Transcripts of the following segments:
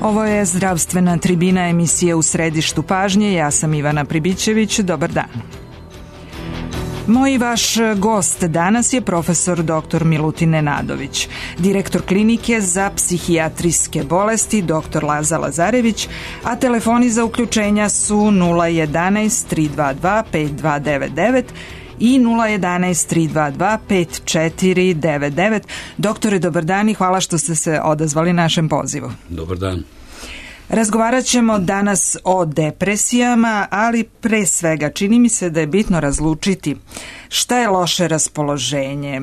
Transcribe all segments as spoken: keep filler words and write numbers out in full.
Ovo je zdravstvena tribina, emisije U središtu pažnje. Ja sam Ivana Pribićević. Dobar dan. Moj i vaš gost danas je profesor doktor Milutin Nenadović, direktor klinike za psihijatrijske bolesti doktor Laza Lazarević, a telefoni za uključenja su nula jedanaest tri dva dva pet dva devet devet i nula jedanaest tri dva dva pet četiri devet devet. Doktore, dobar dan i hvala što ste se odazvali našem pozivu. Dobar dan. Razgovarat ćemo danas o depresijama, ali pre svega čini mi se da je bitno razlučiti šta je loše raspoloženje,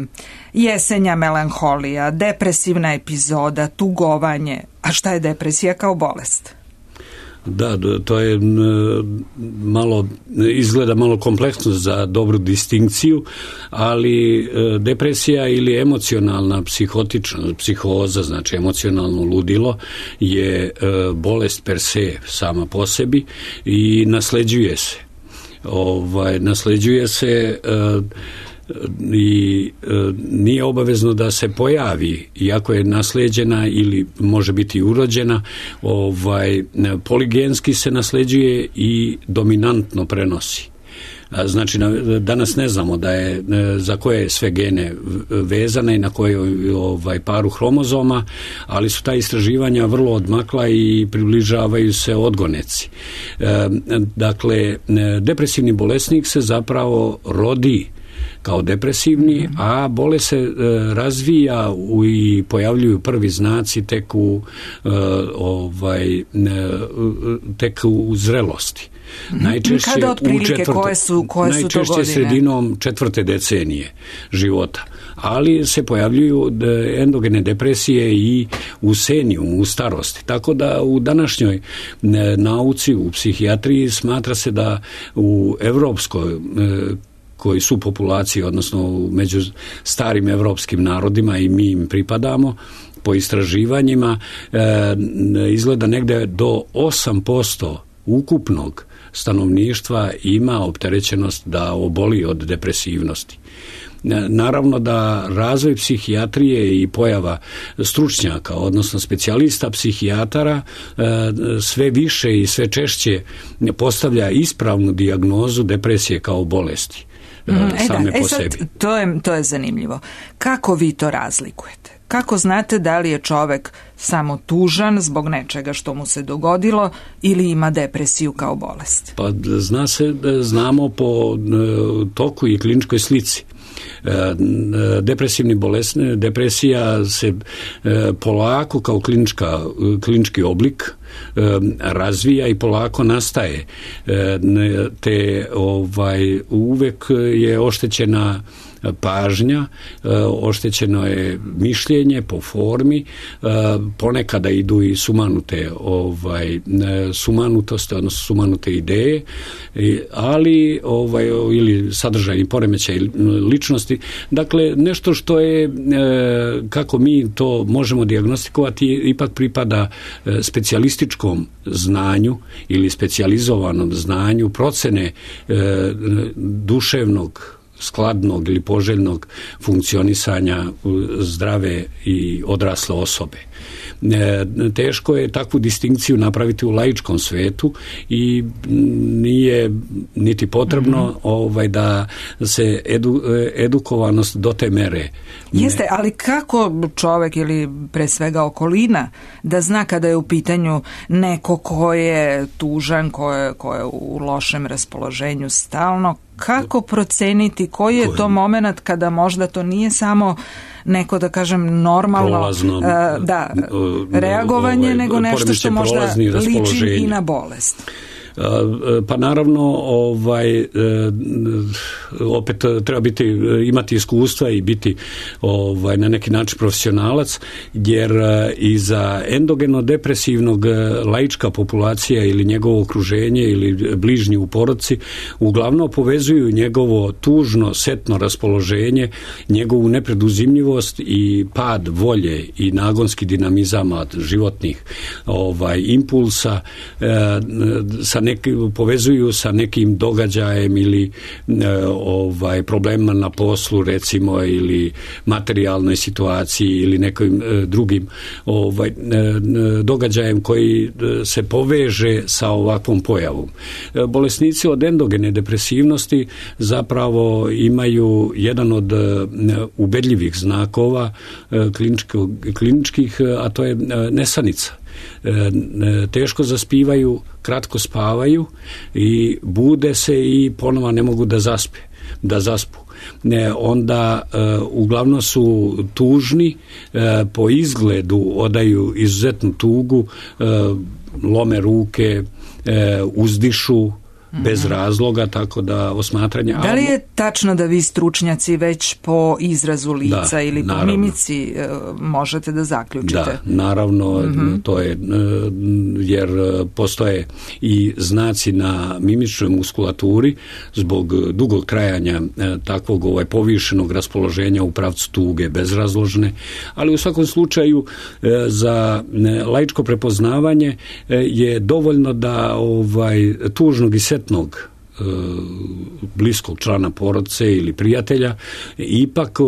jesenja melanholija, depresivna epizoda, tugovanje, a šta je depresija kao bolest? Da, to je malo, izgleda malo kompleksno za dobru distinkciju, ali depresija ili emocionalna psihotična psihoza, znači emocionalno ludilo, je bolest per se sama po sebi i nasleđuje se. Ovaj, nasleđuje se i e, nije obavezno da se pojavi, iako je nasleđena ili može biti urođena, ovaj, poligenski se nasleđuje i dominantno prenosi. Znači, danas ne znamo da je za koje sve gene vezane i na kojoj ovaj, paru hromozoma, ali su ta istraživanja vrlo odmakla i približavaju se odgoneci. E, dakle, depresivni bolesnik se zapravo rodi kao depresivni, a bolest se e, razvija u, i pojavljuju prvi znaci tek u, e, ovaj, e, tek u zrelosti. Najčešće Kada otprilike, u četvrte, koje su, koje su to godine? Najčešće sredinom četvrte decenije života. Ali se pojavljuju endogene depresije i u senijumu, u starosti. Tako da u današnjoj nauci, u psihijatriji, smatra se da u evropskoj koji su populacije, odnosno među starim evropskim narodima i mi im pripadamo, po istraživanjima e, izgleda negde do osam posto ukupnog stanovništva ima opterećenost da oboli od depresivnosti. Naravno da razvoj psihijatrije i pojava stručnjaka, odnosno specijalista psihijatara, sve više i sve češće postavlja ispravnu dijagnozu depresije kao bolesti. E same da, po e sad, sebi. To je, to je zanimljivo. Kako vi to razlikujete? Kako znate da li je čovek samo tužan zbog nečega što mu se dogodilo ili ima depresiju kao bolest? Pa zna se, znamo po toku i kliničkoj slici. Depresivni bolest, depresija se polako kao klinička, klinički oblik razvija i polako nastaje. Te ovaj, uvek je oštećena pažnja, oštećeno je mišljenje po formi, ponekada idu i sumanute ovaj, sumanutosti, odnosno sumanute ideje, ali ovaj, ili sadržajni poremećaj ličnosti. Dakle, nešto što je, kako mi to možemo dijagnostikovati, ipak pripada specijalističkom znanju ili specijalizovanom znanju procene duševnog, skladnog ili poželjnog funkcionisanja zdrave i odrasle osobe. Teško je takvu distinkciju napraviti u laičkom svetu i nije niti potrebno mm-hmm. ovaj, da se edu, edukovanost do te mere. Jeste, ali kako čovek ili pre svega okolina da zna kada je u pitanju neko ko je tužan, ko je, ko je u lošem raspoloženju stalno, kako proceniti koji je to moment kada možda to nije samo neko, da kažem, normalno prolazno, uh, da, reagovanje, ovaj, nego nešto što možda liči i na bolest? Pa naravno, ovaj, opet treba biti, imati iskustva i biti ovaj, na neki način profesionalac, jer i za endogeno depresivnog laička populacija ili njegovo okruženje ili bližnji u porodici uglavnom povezuju njegovo tužno, setno raspoloženje, njegovu nepreduzimljivost i pad volje i nagonski dinamizama životnih ovaj, impulsa e, sa neki, povezuju sa nekim događajem ili ovaj problemima na poslu, recimo, ili materijalnoj situaciji ili nekim drugim ovaj događajem koji se poveže sa ovakvom pojavom. Bolesnici od endogene depresivnosti zapravo imaju jedan od ubedljivih znakova kliničkih, a to je nesanica. Teško zaspivaju, kratko spavaju i bude se i ponovo ne mogu da zaspe, da zaspu. Ne, onda e, uglavnom su tužni, e, po izgledu odaju izuzetnu tugu, e, lome ruke, e, uzdišu bez razloga, tako da osmatranje... Da li je tačno da vi stručnjaci već po izrazu lica da, ili po naravno. mimici možete da zaključite? Da, naravno, mm-hmm. to je, jer postoje i znaci na mimičnoj muskulaturi zbog dugog trajanja takvog ovaj, povišenog raspoloženja u pravcu tuge bezrazložne, ali u svakom slučaju za laičko prepoznavanje je dovoljno da ovaj, tužnog i setnog bliskog člana porodice ili prijatelja ipak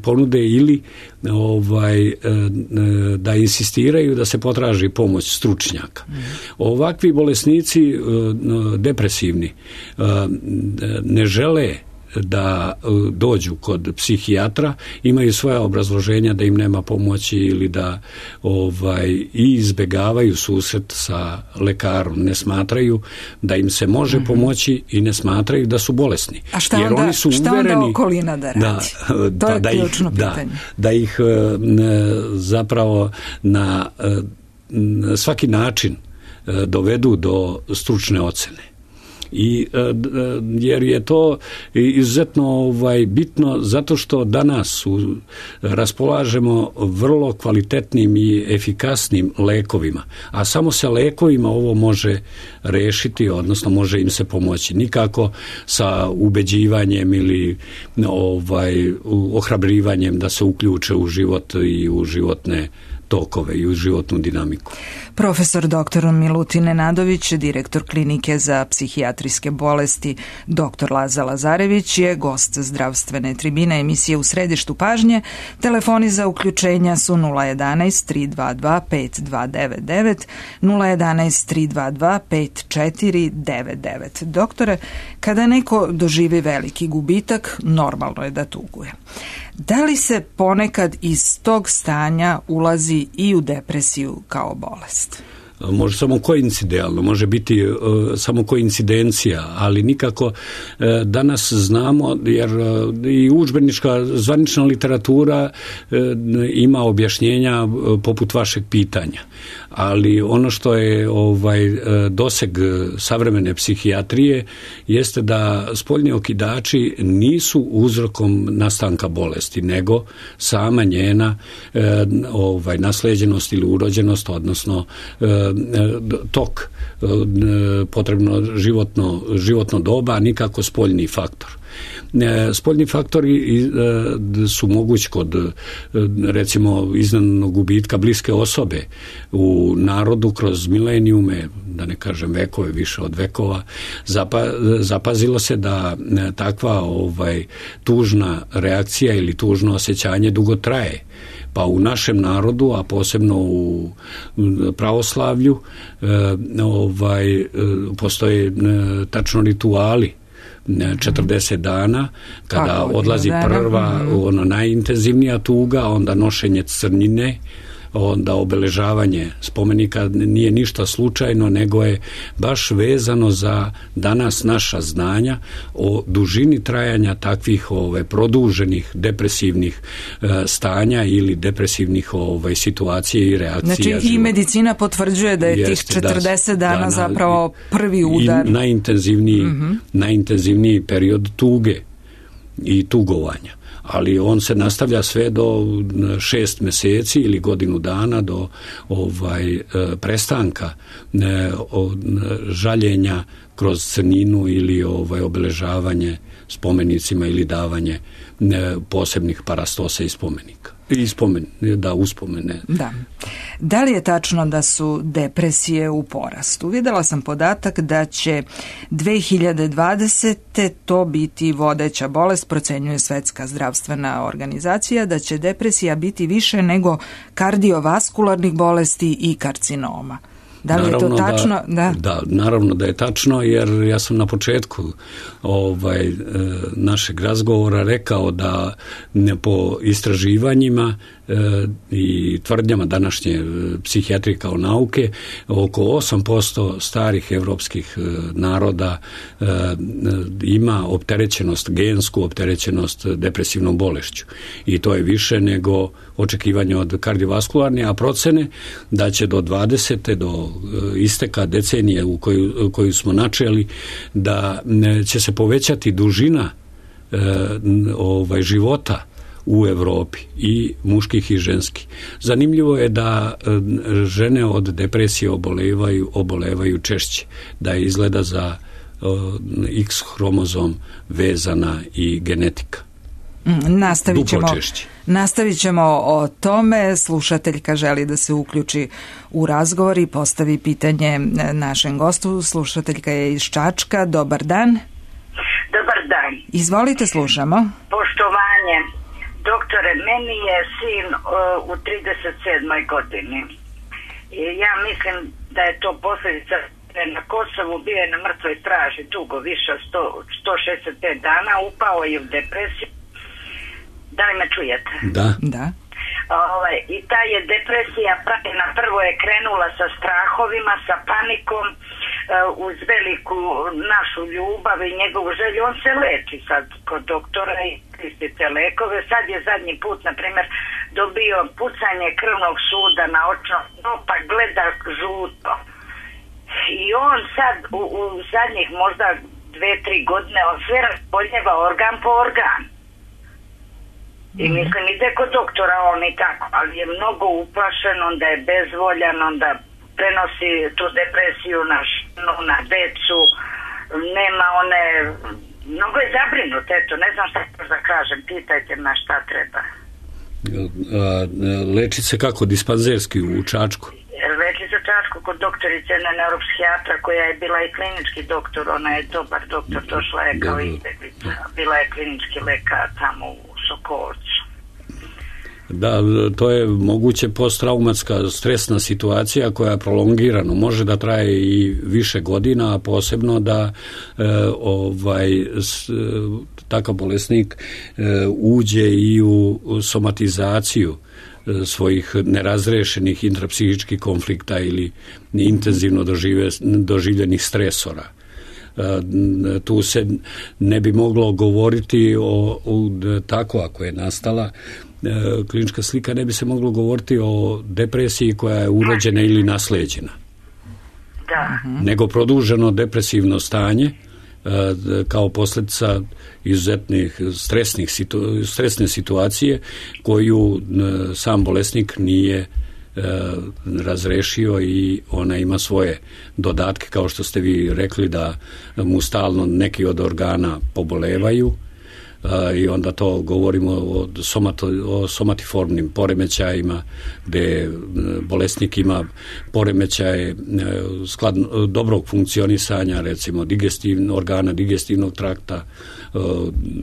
ponude ili ovaj da insistiraju da se potraži pomoć stručnjaka. Ovakvi bolesnici depresivni ne žele da dođu kod psihijatra, imaju svoja obrazloženja da im nema pomoći ili da ovaj i izbegavaju susret sa lekarom, ne smatraju da im se može mm-hmm. pomoći i ne smatraju da su bolesni. A šta jer onda, oni su šta uvereni onda okolina da radi? Da, to je da, ključno da, pitanje. Da, da ih zapravo na svaki način dovedu do stručne ocene. I jer je to izuzetno ovaj bitno zato što danas u, raspolažemo vrlo kvalitetnim i efikasnim lekovima, a samo sa lekovima ovo može rešiti, odnosno može im se pomoći, nikako sa ubeđivanjem ili ovaj ohrabrivanjem da se uključe u život i u životne tokove i u životnu dinamiku. Profesor doktor Milutin Nenadović, direktor klinike za psihijatrijske bolesti doktor Laza Lazarević, je gost zdravstvene tribine emisije U središtu pažnje. Telefoni za uključenja su nula jedanaest tri dva dva pet dva devet devet, nula jedanaest tri dva dva pet četiri devet devet. Doktore, kada neko doživi veliki gubitak, normalno je da tuguje. Da li se ponekad iz tog stanja ulazi i u depresiju kao bolest? Može samo koincidentalno, može biti uh, samo koincidencija, ali nikako uh, danas znamo, jer uh, i udžbenička zvanična literatura uh, ima objašnjenja uh, poput vašeg pitanja. Ali ono što je ovaj uh, doseg savremene psihijatrije jeste da spoljni okidači nisu uzrokom nastanka bolesti, nego sama njena uh, ovaj nasleđenost ili urođenost, odnosno uh, tok, potrebno životno, životno doba, a nikako spoljni faktor. Spoljni faktori su mogući kod recimo iznenadnog gubitka bliske osobe u narodu kroz milenijume, da ne kažem vekove, više od vekova. Zapa, zapazilo se da takva ovaj tužna reakcija ili tužno osjećanje dugo traje. Pa u našem narodu, a posebno u pravoslavlju, ovaj postoje tačno rituali četrdeset dana kada Kako odlazi prva, ono najintenzivnija tuga, onda nošenje crnine, onda obeležavanje spomenika nije ništa slučajno, nego je baš vezano za danas naša znanja o dužini trajanja takvih ove produženih depresivnih e, stanja ili depresivnih ove situacije i reakcija. Znači života. I medicina potvrđuje da je Jeste, tih četrdeset da, dana da, zapravo prvi udar. I najintenzivniji, mm-hmm. najintenzivniji period tuge i tugovanja. ali on se nastavlja sve do šest meseci ili godinu dana do ovaj prestanka žaljenja kroz crninu ili ovaj obeležavanje spomenicima ili davanje posebnih parastose i spomenika. I spomen, da uspomene. Da. Da li je tačno da su depresije u porastu? Videla sam podatak da će dve hiljade dvadesete to biti vodeća bolest, procenjuje Svetska zdravstvena organizacija, da će depresija biti više nego kardiovaskularnih bolesti i karcinoma. Da li naravno je to tačno? Da, da. da, naravno da je tačno, jer ja sam na početku ovaj, našeg razgovora rekao da ne, po istraživanjima e, i tvrdnjama današnje psihijatrije kao nauke, oko osam posto starih evropskih naroda e, ima opterećenost, gensku opterećenost depresivnom bolešću. I to je više nego očekivanje od kardiovaskularne, a procene da će do dvadesete do isteka decenije u koju, koju smo načeli, da će se povećati dužina e, ovaj, života u Evropi, i muških i ženskih. Zanimljivo je da e, žene od depresije obolevaju, obolevaju češće, da je izgleda za e, X hromozom vezana i genetika. Mm, nastavit ćemo, nastavit ćemo o tome. Slušateljka želi da se uključi u razgovor i postavi pitanje našem gostu. Slušateljka je iz Čačka. Dobar dan. Dobar dan. Izvolite, slušamo. Poštovanje. Doktore, meni je sin uh, u trideset sedmoj godini. I ja mislim da je to posljedica na Kosovu, bio je na mrtvoj straži dugo, više od sto šezdeset pet dana, upao je u depresiju. Da li me čujete? Da. Da. Ovaj, i ta je depresija na prvo je krenula sa strahovima, sa panikom, uh, uz veliku našu ljubav i njegovu želju. On se leči sad kod doktora i koristite lekove. Sad je zadnji put, na primjer, dobio pucanje krvnog suda na očno dno, pa gleda žuto. I on sad u, u zadnjih možda dve, tri godine on sve razboljeva organ po organ. I mislim, ide kod doktora on i tako, ali je mnogo uplašen, onda je bezvoljan, onda prenosi tu depresiju na ženu, na decu, nema one, mnogo je zabrinut, eto, ne znam šta da kažem, pitajte na šta treba. Leči se kako, dispanzerski u Čačku? Leči se u Čačku kod doktorice, jedna neuropsihijatra koja je bila i klinički doktor, ona je dobar doktor, došla je kao izbjeglica, bila je klinički lekar tamo u Sokolcu. Da, to je moguće posttraumatska stresna situacija koja prolongirano može da traje i više godina, a posebno da e, ovaj s, takav bolesnik e, uđe i u somatizaciju e, svojih nerazrešenih intrapsihičkih konflikta ili intenzivno dožive, doživljenih stresora. Tu se ne bi moglo govoriti o, o tako ako je nastala klinička slika, ne bi se moglo govoriti o depresiji koja je urođena ili nasleđena. Da. Nego produženo depresivno stanje kao posljedica izuzetnih stresnih situ, stresne situacije koju sam bolesnik nije razrešio, i ona ima svoje dodatke, kao što ste vi rekli, da mu stalno neki od organa pobolevaju, i onda to govorimo o, somato, o somatiformnim poremećajima, gde bolesnik ima poremećaje skladno, dobrog funkcionisanja, recimo digestivno, organa digestivnog trakta,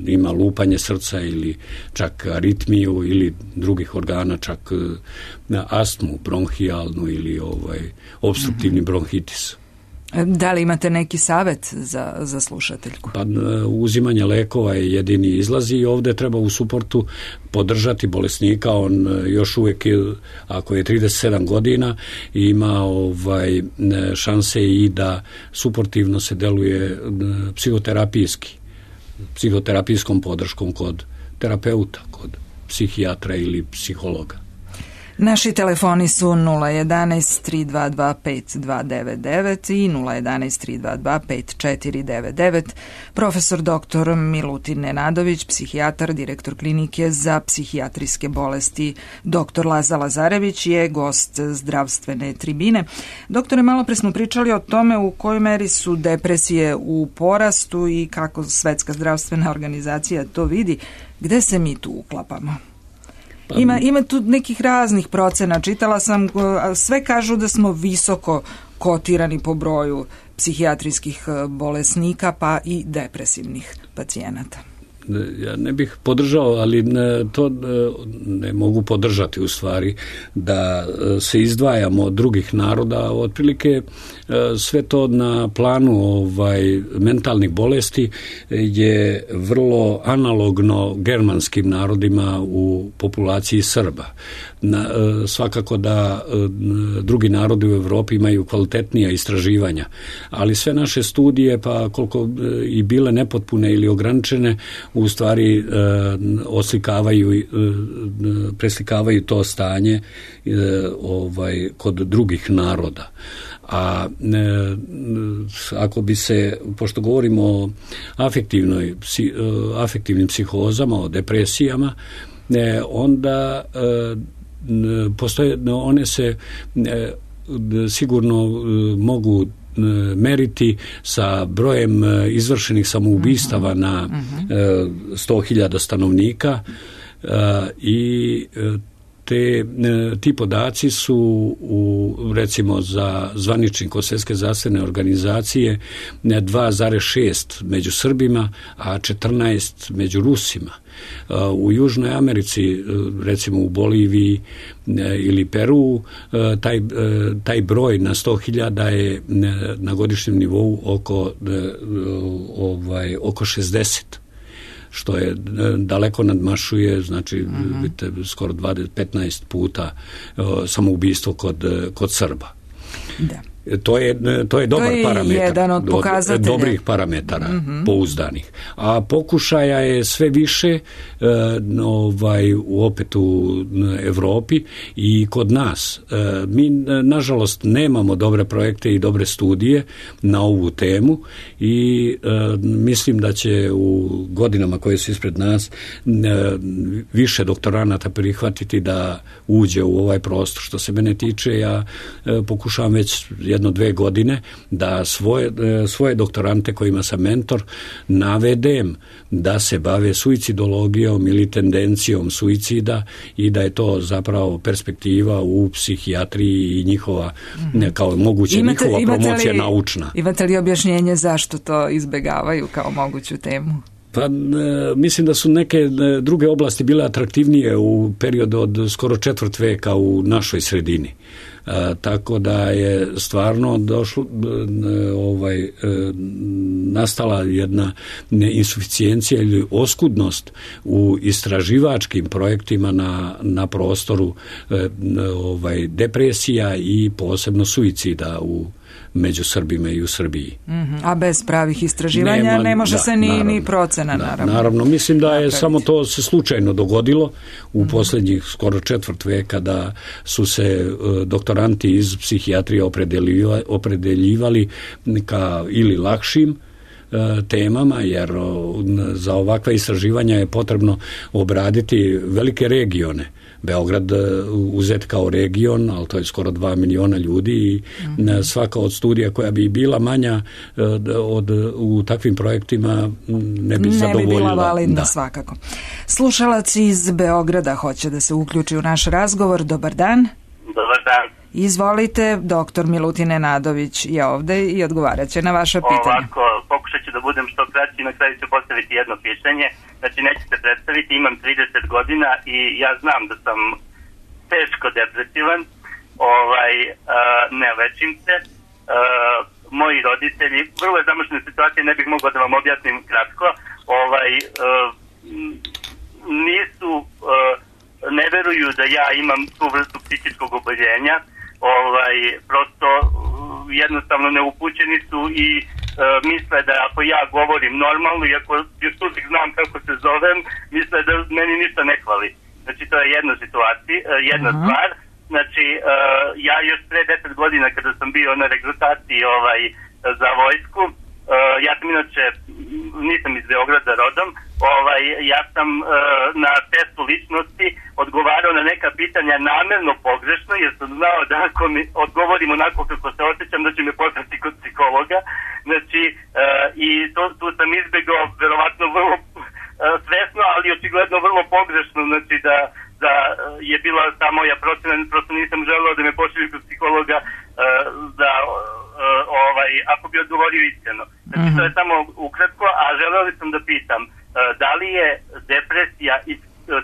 ima lupanje srca ili čak aritmiju, ili drugih organa, čak astmu bronhijalnu ili ovaj opstruktivni bronhitis. Da li imate neki savjet za, za slušateljku? Pa, uzimanje lekova je jedini izlaz, i ovdje treba u suportu podržati bolesnika. On još uvijek, ako je trideset sedam godina, ima ovaj šanse i da suportivno se deluje psihoterapijski, psihoterapijskom podrškom kod terapeuta, kod psihijatra ili psihologa. Naši telefoni su nula jedan tri dva dva pet dva devet devet i nula jedan tri dva dva pet četiri devet devet. Profesor doktor Milutin Nenadović, psihijatar, direktor klinike za psihijatrijske bolesti. Doktor Laza Lazarević je gost zdravstvene tribine. Doktore, malo pre smo pričali o tome u kojoj meri su depresije u porastu i kako Svetska zdravstvena organizacija to vidi. Gde se mi tu uklapamo? Ima, ima tu nekih raznih procena. Čitala sam, sve kažu da smo visoko kotirani po broju psihijatrijskih bolesnika pa i depresivnih pacijenata. Ja ne bih podržao, ali ne, to ne mogu podržati u stvari, da se izdvajamo od drugih naroda. Otprilike sve to na planu ovaj, mentalnih bolesti je vrlo analogno germanskim narodima u populaciji Srba. Na, svakako da drugi narodi u Evropi imaju kvalitetnija istraživanja, ali sve naše studije, pa koliko i bile nepotpune ili ograničene, u stvari e, oslikavaju, e, preslikavaju to stanje e, ovaj, kod drugih naroda. A e, ako bi se, pošto govorimo o afektivnoj, psi, afektivnim psihozama, o depresijama, e, onda e, postoje, one se e, sigurno e, mogu meriti sa brojem izvršenih samoubistava na sto hiljada stanovnika i te, ti podaci su u, recimo za zvaničnik od Svjetske zdravstvene organizacije dva zarez šest među Srbima, a četrnaest među Rusima. U Južnoj Americi, recimo u Boliviji ili Peru, taj, taj broj na sto hiljada je na godišnjem nivou oko, ovaj, oko šezdeset, što je daleko nadmašuje, znači uh-huh. vidite, skoro dvadeset petnaest puta samoubistvo kod, kod Srba. Da. To je, to je dobar to je parametar, jedan od pokazatelja. Dobrih parametara, mm-hmm. pouzdanih. A pokušaja je sve više e, ovaj, opet u Evropi i kod nas. E, mi, nažalost, nemamo dobre projekte i dobre studije na ovu temu i e, mislim da će u godinama koje su ispred nas e, više doktoranata prihvatiti da uđe u ovaj prostor. Što se mene tiče, ja e, pokušavam već jedno dve godine da svoje, svoje doktorante kojima sam mentor navedem da se bave suicidologijom ili tendencijom suicida i da je to zapravo perspektiva u psihijatriji i njihova mm-hmm. kao moguće imate, njihova imate promocija li, naučna. Imate li objašnjenje zašto to izbegavaju kao moguću temu? Pa mislim da su neke druge oblasti bile atraktivnije u periodu od skoro četvrt veka u našoj sredini. A, tako da je stvarno došlo ovaj, nastala jedna insuficijencija ili oskudnost u istraživačkim projektima na, na prostoru ovaj, depresija i posebno suicida u među Srbima i u Srbiji. Mm-hmm. A bez pravih istraživanja Nema, ne može da, se ni, naravno, ni procena, da, naravno. Naravno, mislim da je napraviti. Samo to se slučajno dogodilo u mm-hmm. posljednjih skoro četvrt veka da su se uh, doktoranti iz psihijatrije opredeljivali, opredeljivali ka ili lakšim temama, jer za ovakva istraživanja je potrebno obraditi velike regione. Beograd uzet kao region, ali to je skoro dva miliona ljudi i mm-hmm. svaka od studija koja bi bila manja od, u takvim projektima ne bi ne zadovoljila. Ne bi bila validna, da. Svakako. Slušalac iz Beograda hoće da se uključi u naš razgovor. Dobar dan. Dobar dan. Izvolite, doktor Milutin Nenadović je ovde i odgovarat će na vaša pitanja. Ovako, pokušat ću da budem što kraći i na kraju ću postaviti jedno pitanje. Znači, nećete predstaviti, imam trideset godina i ja znam da sam teško depresivan, ovaj, uh, ne lečim se. Uh, moji roditelji, vrlo je zamošljena situacija, ne bih mogao da vam objasnim kratko, ovaj, uh, nisu... Uh, ne veruju da ja imam tu vrstu psihičkog oboljenja, ovaj, prosto jednostavno neupućeni su i e, misle da ako ja govorim normalno i ako još uvijek znam kako se zovem, misle da meni ništa ne hvali. Znači to je jedna situacija, jedna uh-huh. stvar. znači uh, ja još pre deset godina kada sam bio na regrutaciji ovaj, za vojsku, uh, ja sam inače, nisam iz Beograda rodom, ovaj, ja sam uh, na testu ličnosti odgovarao na neka pitanja namerno pogrešno, jer sam znao da ako mi odgovorim onako kako se osjećam, da će me poslati kod psihologa. Znači, uh, i to, tu sam izbjegao verovatno vrlo uh, svesno, ali očigledno vrlo pogrešno, znači da da je bila ta moja procena, prosto nisam želeo da me pošalju kod psihologa uh, da uh, ovaj, ako bi odgovorio iskreno. Znači mm-hmm. to je samo ukratko, a želeo sam da pitam uh, da li je depresija i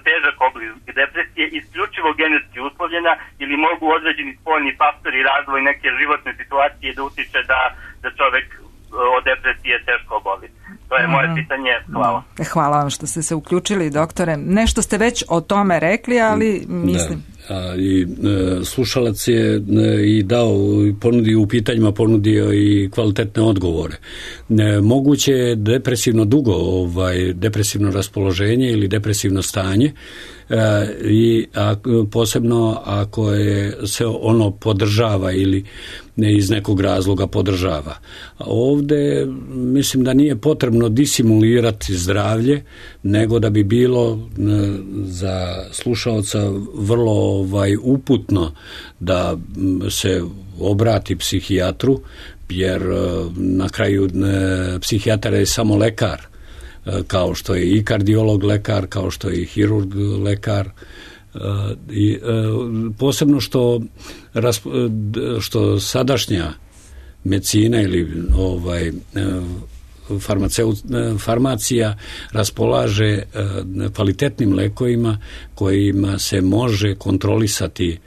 težak oblik depresije isključivo genetski uslovljena ili mogu određeni spoljni faktori, razvoj neke životne situacije da utiče da, da čovek od depresije teško oboli. To je moje pitanje. Hvala. Hvala vam što ste se uključili, doktore. Nešto ste već o tome rekli, ali mislim... Da. A, i e, slušalac je e, i dao, ponudio u pitanjima, ponudio i kvalitetne odgovore. E, moguće je depresivno dugo, ovaj, depresivno raspoloženje ili depresivno stanje, E, i a, posebno ako je se ono podržava ili ne iz nekog razloga podržava. Ovde mislim da nije potrebno disimulirati zdravlje, nego da bi bilo za slušaoca vrlo ovaj, uputno da se obrati psihijatru, jer na kraju psihijatar je samo lekar, kao što je i kardiolog lekar, kao što je i hirurg lekar. I posebno što što sadašnja medicina ili ovaj farmaceut, farmacija raspolaže kvalitetnim lekovima kojima se može kontrolisati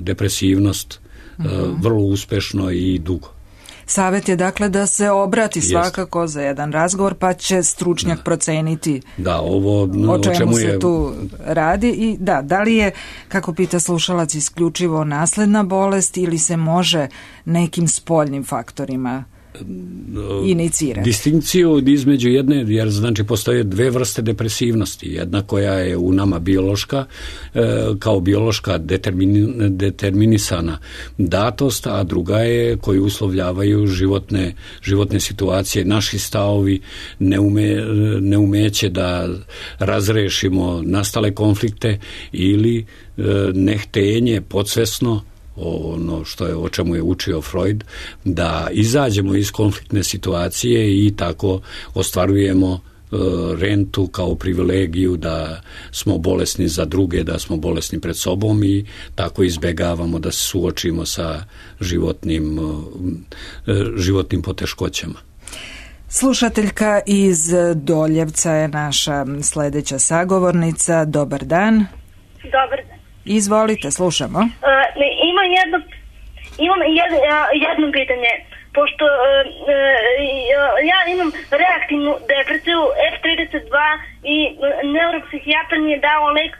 depresivnost uh-huh. vrlo uspešno i dugo. Savjet je dakle da se obrati svakako Jest. za jedan razgovor, pa će stručnjak da. proceniti da, ovo, o čemu, o čemu se je... tu radi. I da, da li je, kako pita slušalac, isključivo nasledna bolest ili se može nekim spoljnim faktorima inicirati? Distinkciju između jedne, jer znači postoje dve vrste depresivnosti. Jedna koja je u nama biološka, kao biološka determin, determinisana datost, a druga je koju uslovljavaju životne, životne situacije, naši stavovi, neume, neumeće da razrešimo nastale konflikte ili nehtenje podsvesno, ono što je, o čemu je učio Freud, da izađemo iz konfliktne situacije i tako ostvarujemo e, rentu kao privilegiju da smo bolesni za druge, da smo bolesni pred sobom i tako izbegavamo da se suočimo sa životnim, e, životnim poteškoćama. Slušateljka iz Doljevca je naša sledeća sagovornica. Dobar dan. Dobar dan. Izvolite, slušamo. Uh, ne, imam jedno, imam jed, uh, jedno pitanje. Pošto uh, uh, ja imam reaktivnu depresiju F trideset dva i neuropsihijatar mi je dao lek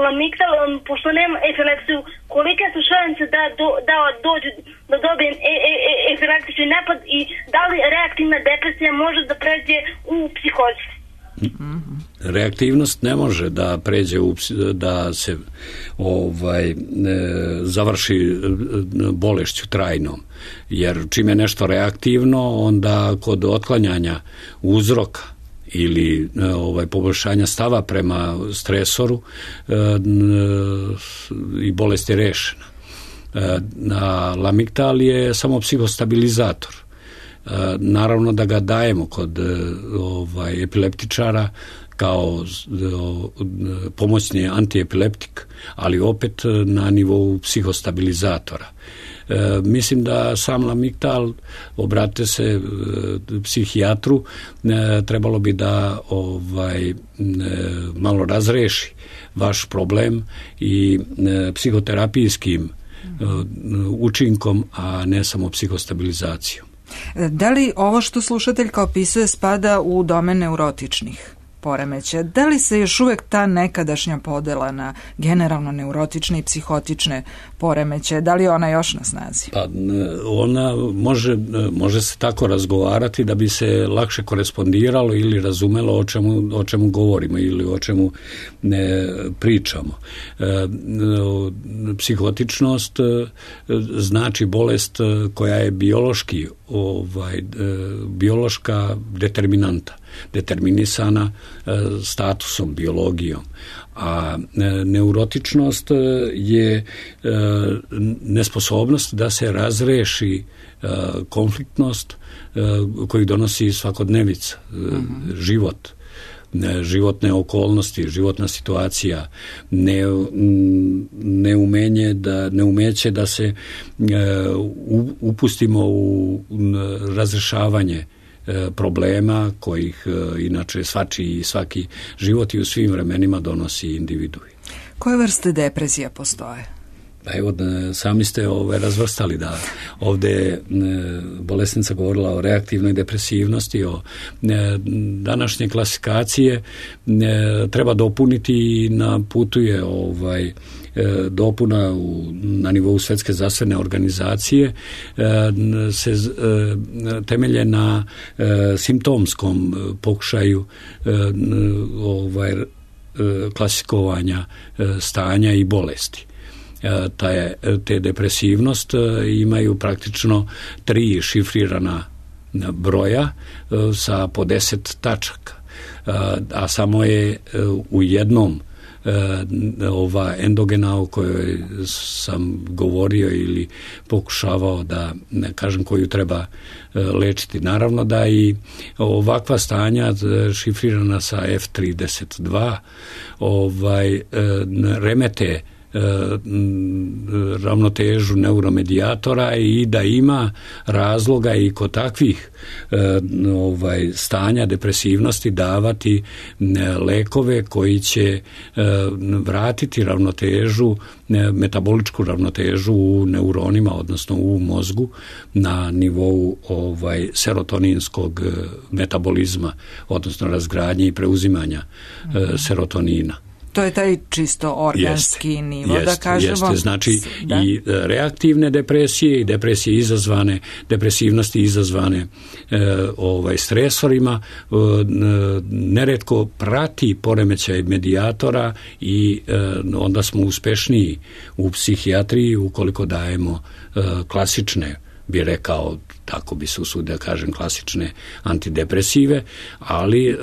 Lamictal, um, pošto nemam epilepsiju, kolike su šanse da, do, da dođu, da dobijem e, e, e, epileptični napad i da li reaktivna depresija može da pređe u psihozu? Reaktivnost ne može da pređe u, da se ovaj, završi bolešću trajnom, jer čim je nešto reaktivno, onda kod otklanjanja uzroka ili ovaj, poboljšanja stava prema stresoru i bolest je rešena. A Lamictal je samo psihostabilizator. Naravno da ga dajemo kod ovaj, epileptičara kao pomoćni antiepileptik, ali opet na nivou psihostabilizatora. E, mislim da sam Lamictal, obratite se e, psihijatru, e, trebalo bi da ovaj, e, malo razreši vaš problem i e, psihoterapijskim e, učinkom, a ne samo psihostabilizacijom. Da li ovo što slušateljka opisuje spada u domen neurotičnih poremećaja. Da li se još uvek ta nekadašnja podela na generalno neurotične i psihotične poremećaje, da li je ona još na snazi? Pa ona može, može se tako razgovarati da bi se lakše korespondiralo ili razumelo o čemu, o čemu govorimo ili o čemu ne pričamo. E, psihotičnost znači bolest koja je biološki ovaj, biološka determinanta, determinisana statusom, biologijom. A neurotičnost je nesposobnost da se razreši konfliktnost koju donosi svakodnevica, mm-hmm. život, životne okolnosti, životna situacija, ne, neumenje da, neumeće da se upustimo u razrešavanje problema kojih inače svači i svaki život i u svim vremenima donosi individui. Koje vrste depresija postoje? Pa evo, sami ste ove razvrstali da ovde bolesnica govorila o reaktivnoj depresivnosti, o današnje klasifikacije treba dopuniti i na putu je ovaj dopuna u, na nivou Svetske zdravstvene organizacije se temelje na simptomskom pokušaju ovaj klasifikovanja stanja i bolesti. Te, te depresivnost imaju praktično tri šifrirana broja sa po deset tačaka, a samo je u jednom ova endogena o kojoj sam govorio ili pokušavao da kažem koju treba lečiti. Naravno da i ovakva stanja šifrirana sa F trideset dva ovaj, remete ravnotežu neuromedijatora i da ima razloga i kod takvih ovaj, stanja depresivnosti davati lekove koji će vratiti ravnotežu, metaboličku ravnotežu u neuronima, odnosno u mozgu na nivou ovaj, serotoninskog metabolizma, odnosno razgradnje i preuzimanja mm-hmm. serotonina. To je taj čisto organski jeste, nivo, jeste, da kažemo. Jeste, znači da. I reaktivne depresije i depresije izazvane, depresivnosti izazvane e, ovaj, stresorima e, neretko prati poremećaj medijatora i e, onda smo uspešniji u psihijatriji ukoliko dajemo e, klasične, bi rekao, tako bi se usudio da kažem, klasične antidepresive, ali e,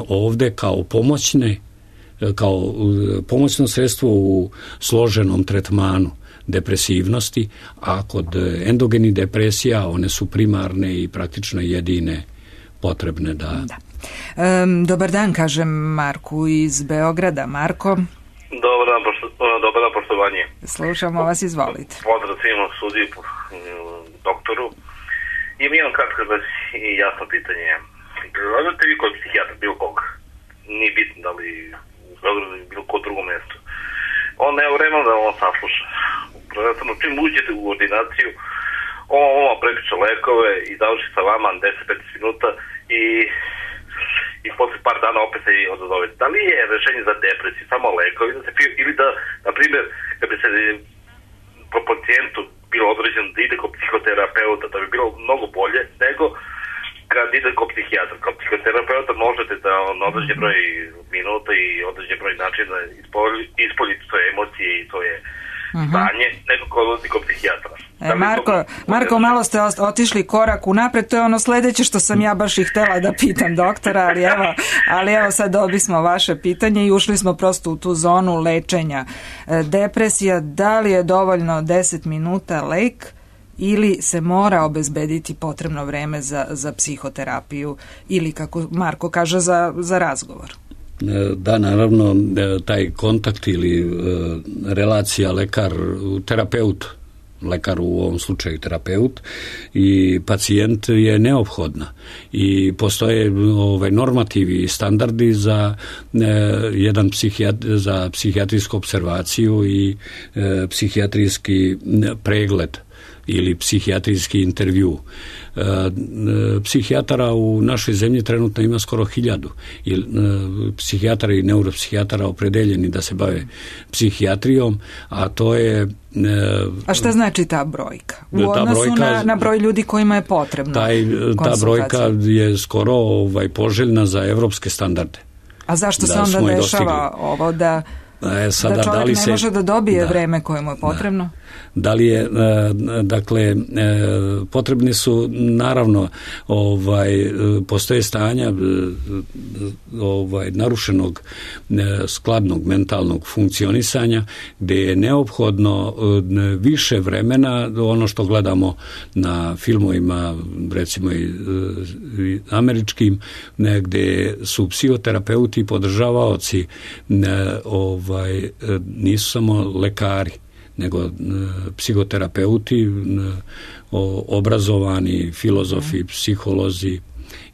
ovde kao pomoćne kao pomoćno sredstvo u složenom tretmanu depresivnosti, a kod endogenih depresija one su primarne i praktično jedine potrebne da... da. Um, dobar dan, kažem Marku iz Beograda. Marko? Dobar dan, pošto, dobar dan, poštovanje. Slušamo vas, izvolite. Pozdrav svima sudi, doktoru. Imam jedan kratko i jasno pitanje. Gledate vi kod psihijatra bilo koga? Nije bitno da li ili bilo ko drugo mjesto. On nema vremena da on sasluša. Prvenstveno, čim uđete u ordinaciju, on vam prepiče lekove i završi sa vama deset do petnaest minuta i i posle par dana opet se odazove. Da li je rešenje za depresiju samo lekovi da se piju, ili da, na primjer, kad bi se po pacijentu bilo određeno da ide kod psihoterapeuta, da bi bilo mnogo bolje nego kad ide kod psihijatra. Kod psihoterapeuta možete da on određen broj minuta i određen broj načina ispoljiti svoje emocije i svoje uh-huh. stanje, nego kod, kod psihijatra. E, Marko, Marko, malo ste otišli korak unapred, to je ono sledeće što sam ja baš i htela da pitam doktora, ali evo, ali evo sad dobismo vaše pitanje i ušli smo prosto u tu zonu lečenja. E, depresija, da li je dovoljno deset minuta lek ili se mora obezbediti potrebno vreme za, za psihoterapiju ili, kako Marko kaže, za, za razgovor? Da, naravno, taj kontakt ili relacija lekar-terapeut, lekar u ovom slučaju terapeut i pacijent je neophodna i postoje ovaj, normativi i standardi za e, jedan psihijat, za psihijatrijsku observaciju i e, psihijatrijski pregled ili psihijatrijski intervju. E, psihijatara u našoj zemlji trenutno ima skoro hiljadu. I, e, psihijatara i neuropsihijatara opredeljeni da se bave psihijatrijom, a to je... E, a šta znači ta brojka? U ta odnosu brojka, na, na broj ljudi kojima je potrebno taj, ta brojka je skoro ovaj, poželjna za evropske standarde. A zašto da se onda dešava dostigli. ovo da... E, sada, da čovjek da li se, ne može da dobije da, vreme koje mu je potrebno? Da, da li je, dakle, potrebni su, naravno, ovaj, postoje stanja ovaj, narušenog skladnog mentalnog funkcionisanja gdje je neophodno više vremena, ono što gledamo na filmovima, recimo i američkim, gdje su psihoterapeuti i podržavaoci ovaj, Ovaj, nisu samo lekari, nego e, psihoterapeuti, e, obrazovani filozofi, mm. psiholozi,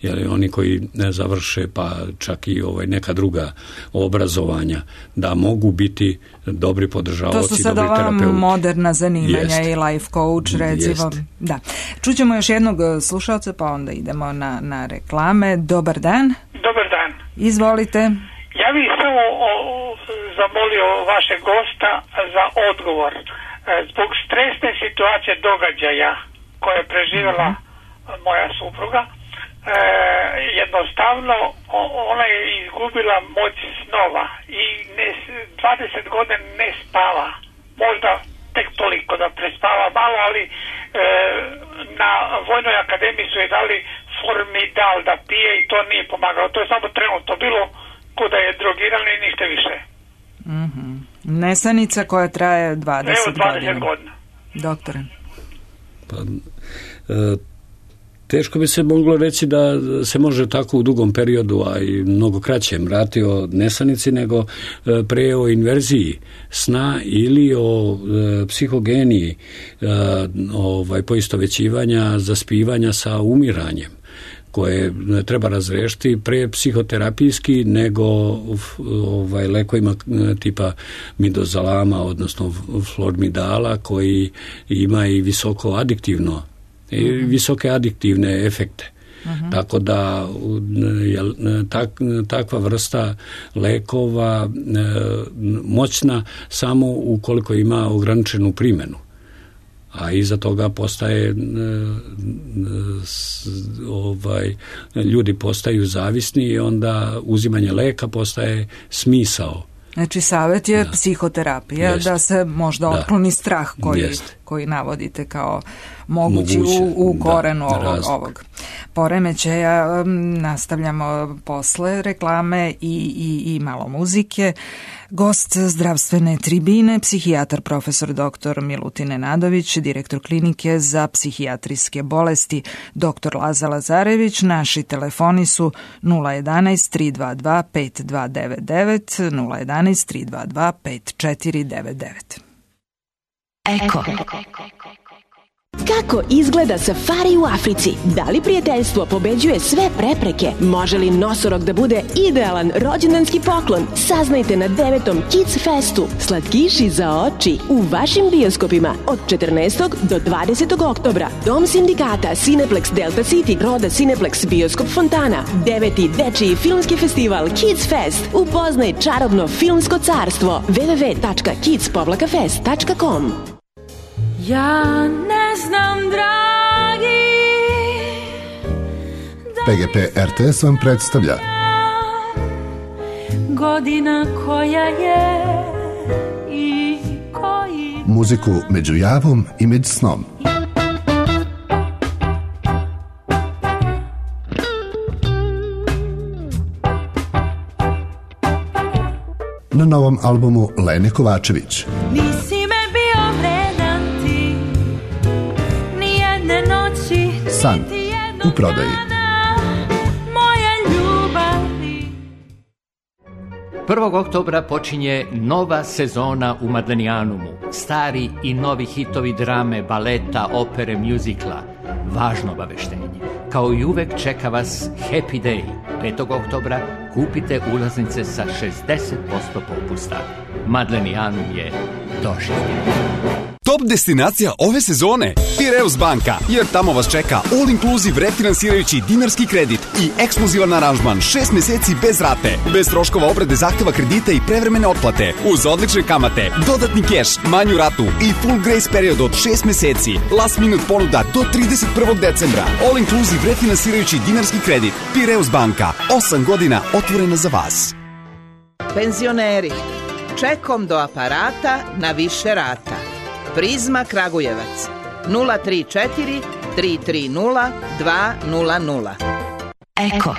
jer oni koji ne završe, pa čak i ovaj, neka druga obrazovanja, da mogu biti dobri podržavaoci, dobri terapeuti. To su sad ova moderna zanimanja. Jest. I life coach, recimo. Da. Čućemo još jednog slušalca, pa onda idemo na, na reklame. Dobar dan. Dobar dan. Izvolite. Ja bih samo o, zamolio vašeg gosta za odgovor. Zbog stresne situacije događaja koje je preživjela moja supruga, e, jednostavno ona je izgubila moć snova i ne, dvadeset godina ne spava. Možda tek toliko da prespava malo, ali e, na Vojnoj akademiji su je dali Formidal da pije i to nije pomagalo. To je samo trenutno bilo kuda je drogirano i ništa više. Mm-hmm. Nesanica koja traje dvadeset, Evo, dvadeset godina. Doktore. Pa, e, teško bi se moglo reći da se može tako u dugom periodu, a i mnogo kraćem, rati o nesanici, nego e, pre o inverziji sna ili o e, psihogeniji, e, ovaj, poistovećivanja, zaspivanja sa umiranjem, koje treba razrešiti pre psihoterapijski nego ovaj, lekovima tipa midozalama, odnosno flormidala, koji ima i visoko adiktivno, i visoke adiktivne efekte. Uh-huh. Tako da je tak, takva vrsta lekova moćna samo ukoliko ima ograničenu primjenu. A iza toga postaje ovaj, ljudi postaju zavisni i onda uzimanje leka postaje smisao. Znači savjet je da. Psihoterapija, Jest. Da se možda da. Otkloni strah koji, koji navodite kao mogući Moguće. u, u korenu da, ovog, ovog poremećaja. Nastavljamo posle reklame i, i, i malo muzike. Gost zdravstvene tribine, psihijatar profesor doktor Milutin Nenadović, direktor klinike za psihijatrijske bolesti doktor Laza Lazarević. Naši telefoni su nula jedanaest tri dva dva pet dva devet devet, nula jedanaest tri dva dva pet četiri devet devet. Eko. Kako izgleda safari u Africi? Da li prijateljstvo pobeđuje sve prepreke? Može li nosorog da bude idealan rođendanski poklon? Saznajte na devetom Kids Festu. Slatkiši za oči u vašim bioskopima od četrnaestog do dvadesetog oktobra. Dom sindikata Cineplex Delta City, Roda Cineplex Bioskop Fontana. Deveti dečiji filmski festival Kids Fest. Upoznaj čarobno filmsko carstvo. w w w tačka kids fest tačka com. Ja ne znam, dragi, P G P R T S vam predstavlja godina koja je i koji muziku među javom i među snom. Na novom albumu Lene Kovačević. Nisi me bio vredan ti, nijedne noći, San u prodaji. Moja ljubavi. prvog oktobra počinje nova sezona u Madlenijanumu. Stari i novi hitovi drame, baleta, opere, mjuzikla. Važno obaveštenje. Kao i uvek čeka vas Happy Day. petog oktobra kupite ulaznice sa šezdeset posto popusta. Madlenijanum je doživljen. top destinacija ove sezone? Piraeus banka, jer tamo vas čeka all inclusive refinansirajući dinarski kredit i ekskluzivan aranžman šest meseci bez rate, bez troškova obrade zahteva kredita i prevremene otplate, uz odlične kamate, dodatni keš, manju ratu i full grace period od šest meseci, last minute ponuda do trideset prvog decembra, all inclusive refinansirajući dinarski kredit. Piraeus banka, osam godina otvorena za vas. Penzioneri, čekom do aparata na više rata. Prizma Kragujevac, nula tri četiri tri tri nula dva nula nula. Eko.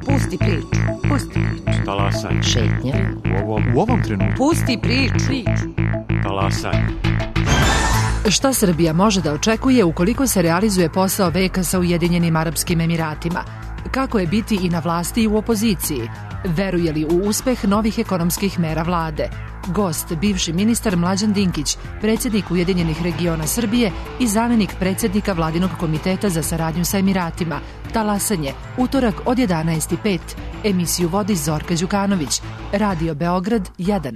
Pusti priču, pusti priču. Talasaj. Šetnja. U ovom, u ovom trenutku. Pusti priču. Talasaj. Šta Srbija može da očekuje ukoliko se realizuje posao veka sa Ujedinjenim Arapskim Emiratima? Kako je biti i na vlasti i u opoziciji? Veruje li u uspeh novih ekonomskih mera vlade? Gost, bivši ministar Mlađan Dinkić, predsjednik Ujedinjenih regiona Srbije i zamjenik predsjednika Vladinog komiteta za saradnju sa Emiratima. Talasanje, utorak od jedanaest i pet. Emisiju vodi Zorka Đukanović. Radio Beograd jedan.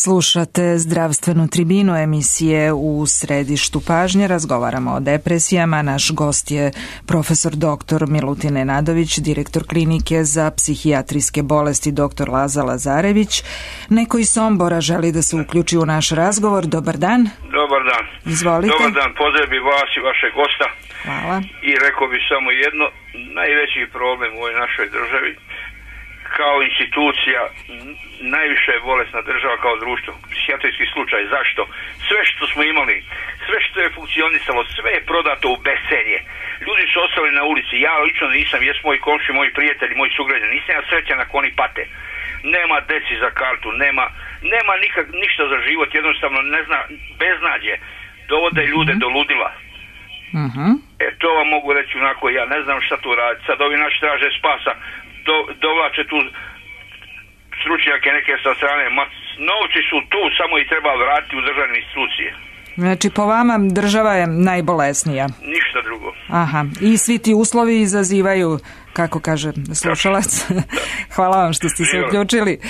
Slušate zdravstvenu tribinu emisije U središtu pažnje. Razgovaramo o depresijama. Naš gost je profesor doktor Milutin Nenadović, direktor klinike za psihijatrijske bolesti doktor Laza Lazarević. Neko iz Sombora želi da se uključi u naš razgovor. Dobar dan. Dobar dan. Izvolite. Dobar dan, pozdravim vas i vašeg gosta. Hvala. I rekao bih samo jedno, najveći problem u ovoj našoj državi kao institucija, najviše je bolesna država kao društvo, psihijatrijski slučaj. Zašto? Sve što smo imali, sve što je funkcionisalo, sve je prodato u bescenje. Ljudi su ostali na ulici, ja lično nisam, jes moji komši, moji prijatelji, moji sugrađani, nisam ja srećan ako oni pate. Nema deci za kartu, nema, nema nikak, ništa za život, jednostavno ne zna, beznađe, dovode ljude do ludila. Uh-huh. E, to vam mogu reći onako, ja ne znam šta tu raditi, sad ovi naši traže spasa, Do, dovlače tu stručnjake neke sa strane, ma novci su tu, samo ih treba vratiti u državne institucije. Znači, po vama država je najbolesnija? Ništa drugo. Aha, i svi ti uslovi izazivaju, kako kaže slušalac. Hvala vam što ste se uključili.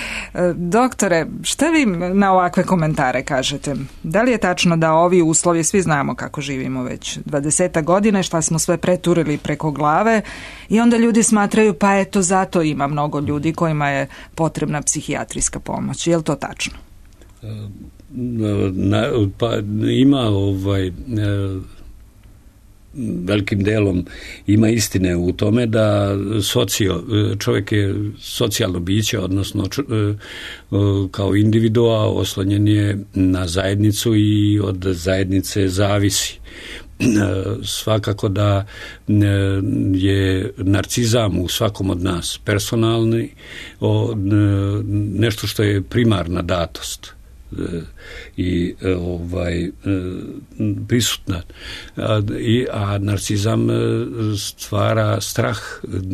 Doktore, šta vi na ovakve komentare kažete? Da li je tačno da ovi uslovi, svi znamo kako živimo već dvadeset godina, šta smo sve preturili preko glave i onda ljudi smatraju, pa eto, zato ima mnogo ljudi kojima je potrebna psihijatrijska pomoć. Je li to tačno? Na, pa ima ovaj velikim delom ima istine u tome da socio, čovjek je socijalno biće, odnosno kao individua oslonjen je na zajednicu i od zajednice zavisi. Svakako da je narcizam u svakom od nas personalni, nešto što je primarna datost i ovaj prisutna, a, i, a narcizam stvara strah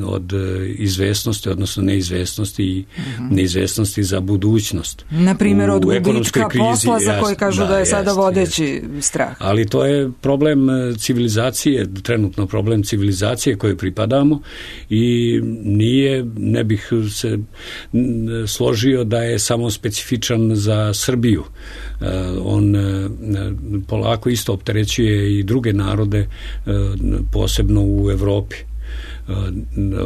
od izvesnosti, odnosno neizvesnosti i uh-huh. neizvesnosti za budućnost. Na primjer od gubitka posla za koji kažu da, da je sada vodeći jest. strah. Ali to je problem civilizacije, trenutno problem civilizacije koje pripadamo i nije, ne bih se složio da je samo specifičan za Srbiju Srbiju. On polako isto opterećuje i druge narode, posebno u Evropi.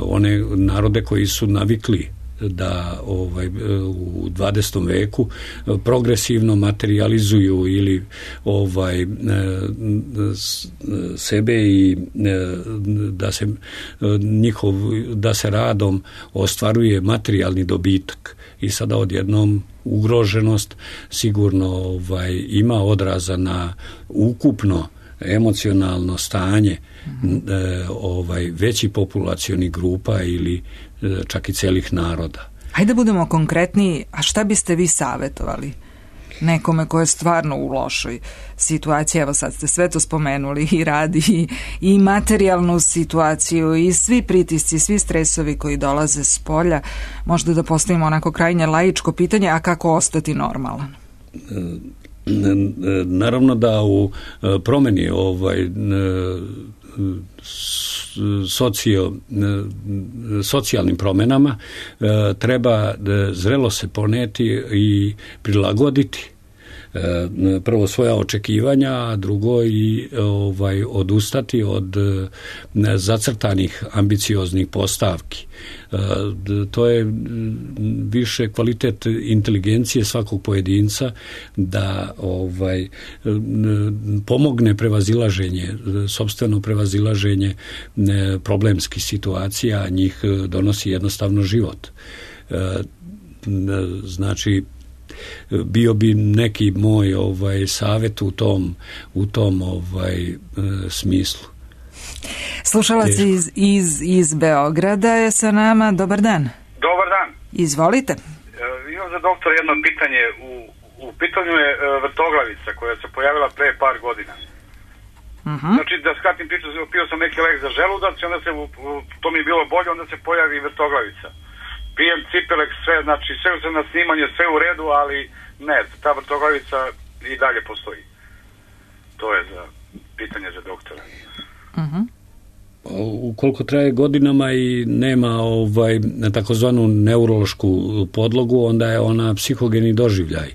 One narode koji su navikli da ovaj u dvadesetom veku progresivno materializuju ili ovaj sebe i da se njihov da se radom ostvaruje materijalni dobitak i sada odjednom ugroženost sigurno ovaj ima odraza na ukupno emocionalno stanje mm-hmm. e, ovaj veći populacioni grupa ili e, čak i celih naroda. Hajde da budemo konkretniji, a šta biste vi savjetovali nekome ko je stvarno u lošoj situaciji? Evo sad ste sve to spomenuli, i radi i, i materijalnu situaciju i svi pritisci, svi stresovi koji dolaze s polja. Možda da postavimo onako krajnje laičko pitanje, a kako ostati normalan? E, Naravno da u promeni ovaj socio, socijalnim promenama treba zrelo se poneti i prilagoditi prvo svoja očekivanja, a drugo i ovaj odustati od zacrtanih ambicioznih postavki. To je više kvalitet inteligencije svakog pojedinca da ovaj pomogne prevazilaženje, sopstveno prevazilaženje problemskih situacija, a njih donosi jednostavno život. Znači, bio bi neki moj ovaj savjet u tom u tom ovaj e, smislu. Slušalac iz, iz, iz Beograda je sa nama. Dobar dan. Dobar dan. Izvolite. E, imam za doktora jedno pitanje. U, u pitanju je e, vrtoglavica koja se pojavila pre par godina. Uh-huh. Znači, da skratim priču, pio sam neki lek za želudac i onda se, to mi je bilo bolje, onda se pojavi vrtoglavica. Pijem Cipelek, sve, znači sve se na snimanje, sve u redu, ali ne, ta vrtoglavica i dalje postoji. To je za pitanje za doktora. Uh-huh. Ukoliko traje godinama i nema ovaj takozvanu neurološku podlogu, onda je ona psihogeni doživljaj.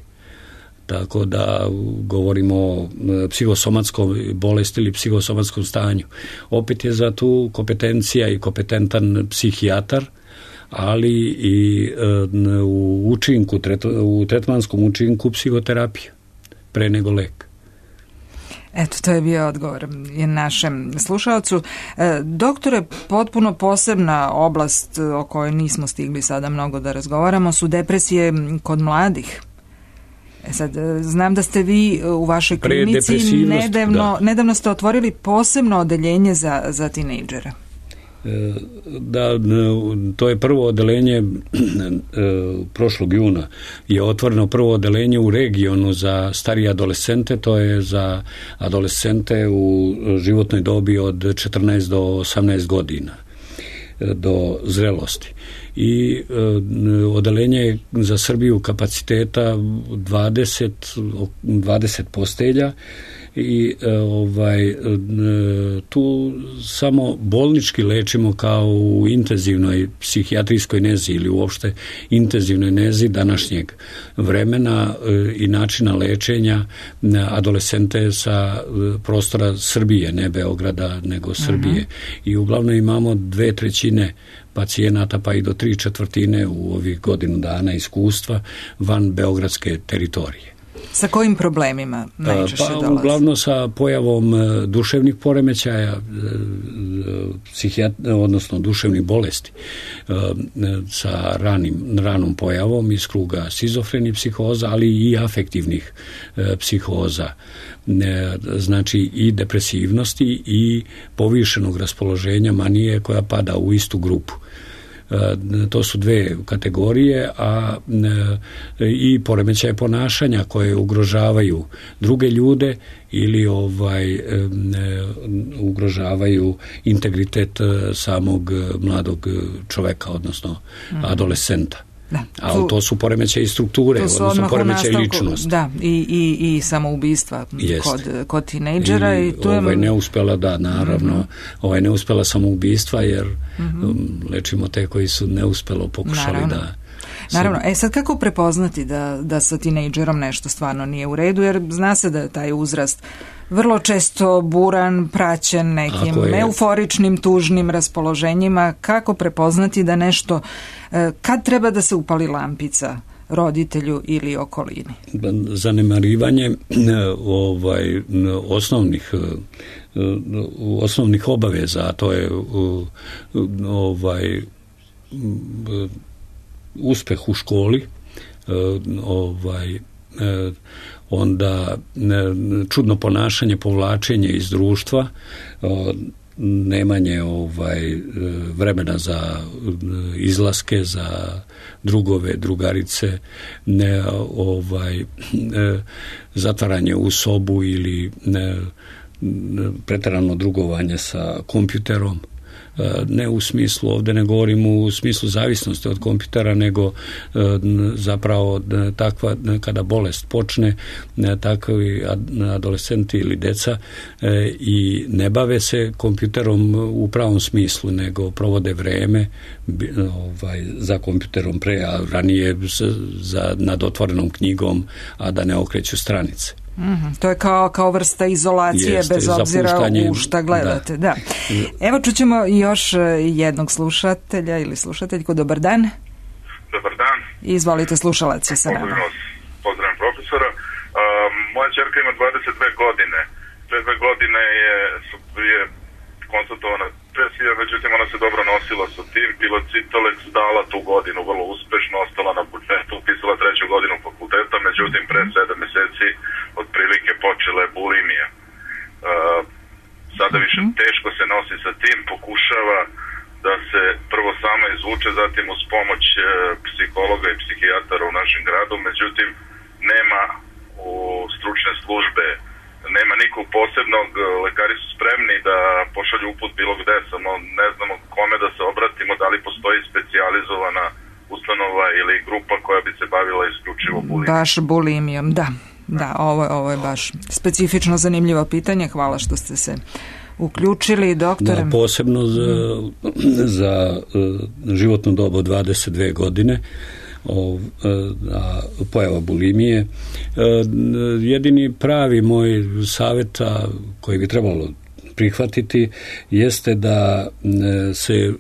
Tako da govorimo o psihosomatskom bolesti ili psihosomatskom stanju. Opet je za tu kompetencija i kompetentan psihijatar, ali i e, u učinku, u tretmanskom učinku psihoterapije, pre nego lek. Eto, to je bio odgovor našem slušalcu. E, doktore, potpuno posebna oblast o kojoj nismo stigli sada mnogo da razgovaramo su depresije kod mladih. E sad, znam da ste vi u vašoj klinici nedavno, nedavno ste otvorili posebno odeljenje za, za tinejdžere. Da, to je prvo odeljenje prošlog juna je otvoreno prvo odeljenje u regionu za starije adolescente, to je za adolescente u životnoj dobi od četrnaest do osamnaest godina do zrelosti. I odeljenje za Srbiju kapaciteta dvadeset, dvadeset postelja i ovaj tu samo bolnički lečimo kao u intenzivnoj psihijatrijskoj nezi ili uopšte intenzivnoj nezi današnjeg vremena i načina lečenja adolescente sa prostora Srbije, ne Beograda, nego Srbije. Uh-huh. I uglavnom imamo dve trećine pacijenata pa i do tri četvrtine u ovih godinu dana iskustva van beogradske teritorije. Sa kojim problemima najčešće pa, dolazi? Uglavnom sa pojavom duševnih poremećaja, psihijat, odnosno duševnih bolesti, sa ranim, ranom pojavom iz kruga šizofrenih psihoza, ali i afektivnih psihoza. Znači i depresivnosti i povišenog raspoloženja manije koja pada u istu grupu. To su dve kategorije, a i poremećaje ponašanja koje ugrožavaju druge ljude ili ovaj ugrožavaju integritet samog mladog čoveka, odnosno mm. adolescenta. Da, tu, ali to su poremećaje strukture, odnosno poremećaje ličnosti. Da, i, i, i samoubistva kod, kod tinejdžera. I, i tu ovaj je... neuspela, da, naravno, mm-hmm. ovaj neuspela samoubistva, jer mm-hmm. um, lečimo te koji su neuspelo pokušali naravno. da Naravno, e sad kako prepoznati da, da sa tinejdžerom nešto stvarno nije u redu, jer zna se da je taj uzrast vrlo često buran, praćen nekim euforičnim, tužnim raspoloženjima. Kako prepoznati da nešto, kad treba da se upali lampica roditelju ili okolini? Zanemarivanje ovaj, osnovnih osnovnih obaveza, a to je ovaj uspeh u školi, ovaj onda čudno ponašanje, povlačenje iz društva, nemanje ovaj vremena za izlaske, za drugove, drugarice, ne, ovaj zatvaranje u sobu ili ne, preterano drugovanje sa kompjuterom. Ne u smislu, ovdje ne govorim u smislu zavisnosti od kompjutera, nego zapravo takva, kada bolest počne, takvi adolescenti ili deca i ne bave se kompjuterom u pravom smislu, nego provode vreme ovaj, za kompjuterom pre, a ranije za, nad otvorenom knjigom, a da ne okreću stranice. Mm-hmm. To je kao, kao vrsta izolacije. Jeste, bez obzira u šta gledate. Da. Da. Evo čućemo još jednog slušatelja ili slušateljku. Dobar dan. Dobar dan. Izvolite, slušalac je sa nama. Pozdravim profesora. Uh, moja čerka ima dvadeset dve godine. Pre dve godine je, je konstatovana depresija, međutim ona se dobro nosila sa tim. Bila Citalex, dala tu godinu vrlo uspešno, ostala na budžetu, upisala treću godinu fakulteta, međutim pre sedam meseci otprilike počela je bulimija. Uh, sada više teško se nosi sa tim, pokušava da se prvo sama izvuče, zatim uz pomoć uh, psihologa i psihijatara u našem gradu, međutim nema u stručne službe, nema nikog posebnog, lekari su spremni da pošalju uput bilo gde, samo ne znamo kome da se obratimo, da li postoji specijalizovana ustanova ili grupa koja bi se bavila isključivo bulimijom. Baš bulimijom, da. Da, ovo, ovo je baš specifično zanimljivo pitanje. Hvala što ste se uključili, doktore. Da, posebno za, za životno dobu dvadeset dve godine, a pojava bulimije. Jedini pravi moj savjet koji bi trebalo prihvatiti jeste da se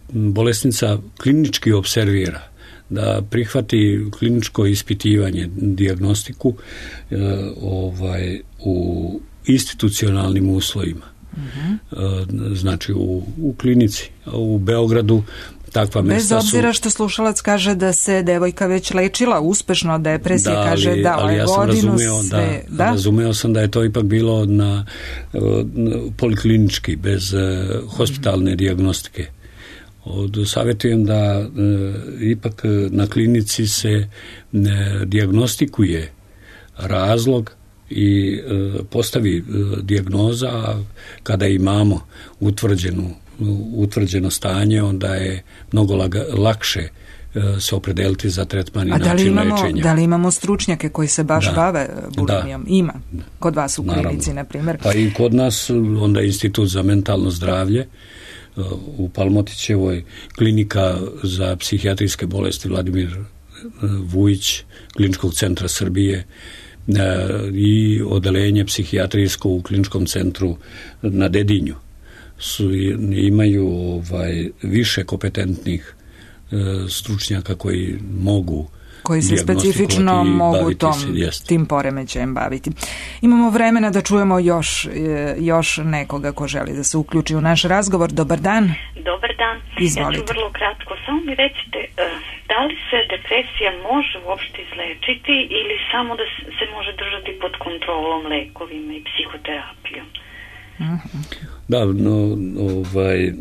bolesnica klinički observira, da prihvati kliničko ispitivanje, dijagnostiku e, ovaj, u institucionalnim uslovima. Uh-huh. E, znači u, u klinici. U Beogradu takva mesta su... Bez obzira što slušalac kaže da se devojka već lečila uspešno od depresije, da, kaže da ali ja sam godinu razumeo, sve... Da, da? Razumeo sam da je to ipak bilo na, na poliklinički, bez uh, hospitalne dijagnostike. Savjetujem da e, ipak na klinici se e, dijagnostikuje razlog i e, postavi e, dijagnoza. Kada imamo utvrđenu, utvrđeno stanje, onda je mnogo laga, lakše e, se opredeliti za tretman i način imamo, lečenja. Da li imamo stručnjake koji se baš da, bave bulimijom? Da. Ima. Kod vas u klinici, na primjer. Pa i kod nas, onda Institut za mentalno zdravlje u Palmotićevoj, klinika za psihijatrijske bolesti Vladimir Vujić, Kliničkog centra Srbije i odelenje psihijatrijsko u Kliničkom centru na Dedinju. Su, imaju ovaj, više kompetentnih stručnjaka koji mogu koji se specifično mogu tom, se, tim poremećajem baviti. Imamo vremena da čujemo još, još nekoga ko želi da se uključi u naš razgovor. Dobar dan. Dobar dan. Izvolite. Ja ću vrlo kratko. Samo mi recite, da li se depresija može uopšte izlečiti ili samo da se može držati pod kontrolom lekovima i psihoterapijom? Uh-huh. Da, no, ovaj,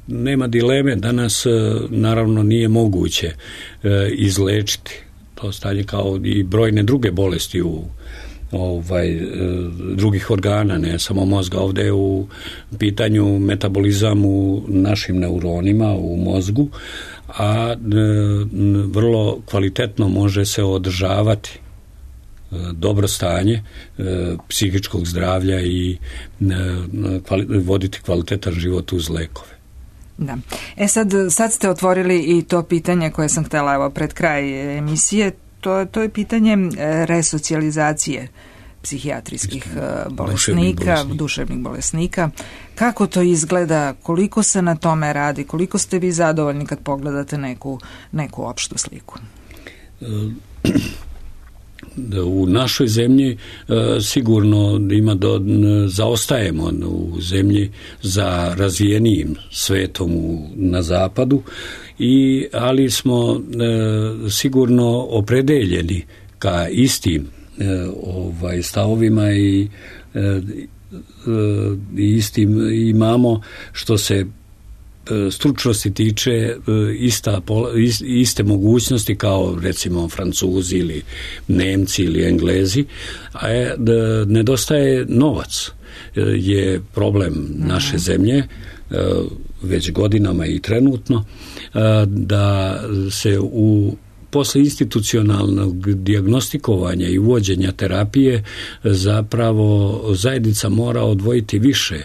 nema dileme, danas naravno nije moguće e, izlečiti to stanje kao i brojne druge bolesti u ovaj, e, drugih organa, ne samo mozga. Ovdje je u pitanju metabolizam u našim neuronima u mozgu, a e, vrlo kvalitetno može se održavati dobro stanje e, psihičkog zdravlja i e, kvali, voditi kvalitetan život uz lekove. Da. E sad, sad ste otvorili i to pitanje koje sam htjela evo pred kraj emisije, to, to je pitanje resocijalizacije psihijatrijskih bolesnika, duševnih, duševnih bolesnika. Kako to izgleda, koliko se na tome radi, koliko ste vi zadovoljni kad pogledate neku, neku opštu sliku? U našoj zemlji sigurno ima do, zaostajemo u zemlji za razvijenijim svetom u, na zapadu, i, ali smo e, sigurno opredeljeni ka istim e, ovaj, stavovima i e, i istim imamo što se stručnosti tiče ista, iste mogućnosti kao recimo Francuzi ili Nemci ili Englezi, a je, da nedostaje novac je problem naše zemlje već godinama i trenutno, da se u posle institucionalnog dijagnostikovanja i uvođenja terapije zapravo zajednica mora odvojiti više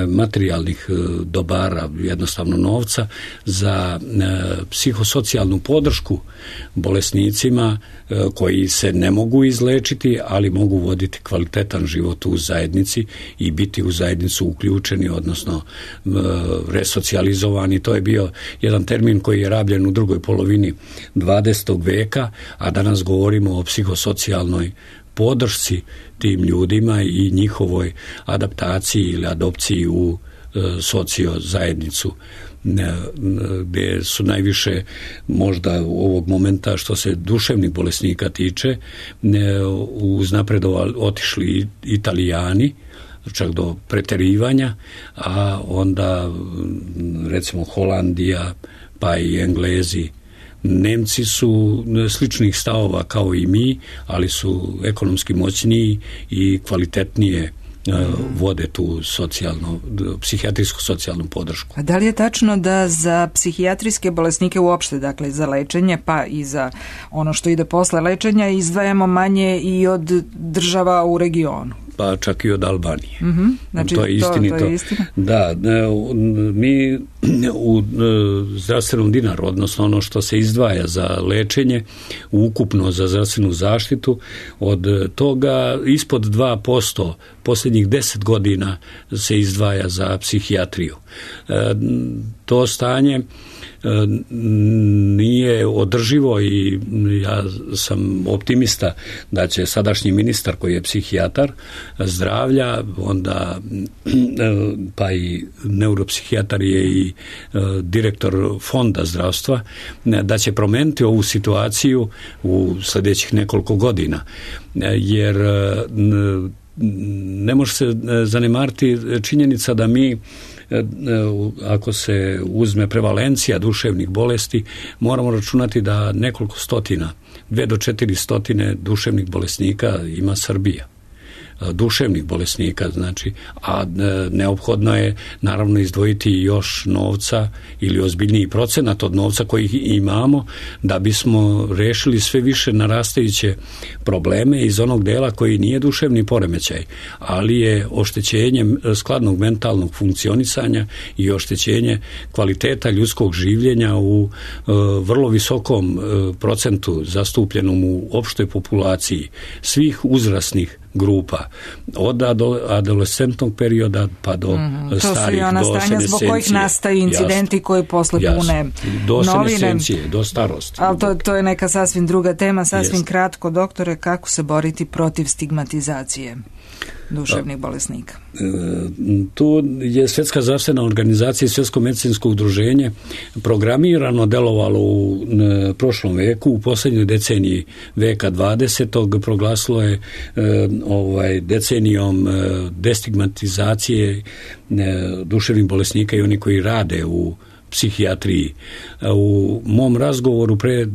materijalnih dobara, jednostavno novca, za psihosocijalnu podršku bolesnicima koji se ne mogu izlečiti, ali mogu voditi kvalitetan život u zajednici i biti u zajednicu uključeni, odnosno resocijalizovani. To je bio jedan termin koji je rabljen u drugoj polovini dvadesetog veka, a danas govorimo o psihosocijalnoj podršci tim ljudima i njihovoj adaptaciji ili adopciji u e, sociozajednicu, gdje su najviše možda u ovog momenta što se duševnih bolesnika tiče uznapredovali otišli Italijani, čak do preterivanja, a onda recimo Holandija pa i Englezi. Nemci su sličnih stavova kao i mi, ali su ekonomski moćniji i kvalitetnije vode tu socijalnu, psihijatrijsku socijalnu podršku. A da li je tačno da za psihijatrijske bolesnike uopšte, dakle za lečenje pa i za ono što ide posle lečenja, izdvajamo manje i od država u regionu? Pa čak i od Albanije. Mm-hmm. Znači, to je istinito. To, to je istina. Da, mi u zdravstvenom dinaru, odnosno ono što se izdvaja za lečenje, ukupno za zdravstvenu zaštitu, od toga ispod dva posto posljednjih deset godina se izdvaja za psihijatriju. To stanje nije održivo i ja sam optimista da će sadašnji ministar koji je psihijatar zdravlja, onda pa i neuropsihijatar je i direktor fonda zdravstva, da će promijeniti ovu situaciju u sljedećih nekoliko godina, jer ne može se zanemariti činjenica da mi, ako se uzme prevalencija duševnih bolesti, moramo računati da nekoliko stotina, dve do četiri stotine duševnih bolesnika ima Srbija. Duševnih bolesnika, znači, a neophodno je naravno izdvojiti još novca ili ozbiljniji procenat od novca koji imamo da bismo rešili sve više narastajuće probleme iz onog dela koji nije duševni poremećaj, ali je oštećenje skladnog mentalnog funkcionisanja i oštećenje kvaliteta ljudskog življenja u uh, vrlo visokom uh, procentu zastupljenom u opštoj populaciji svih uzrasnih grupa, od adolescentnog perioda pa do mm-hmm. starih, to su i ona stanja zbog kojih nastaju incidenti jasno, koji posle jasno, pune do novine. Senescencije, do starosti. Ali to, to je neka sasvim druga tema, sasvim Jest. kratko, doktore, kako se boriti protiv stigmatizacije duševnih bolesnika? Tu je Svjetska zdravstvena organizacija i Svjetsko medicinsko udruženje programirano delovalo u prošlom veku, u posljednjoj deceniji veka dvadesetog proglasilo je ovaj, decenijom destigmatizacije duševnih bolesnika i oni koji rade u psihijatriji. U mom razgovoru pre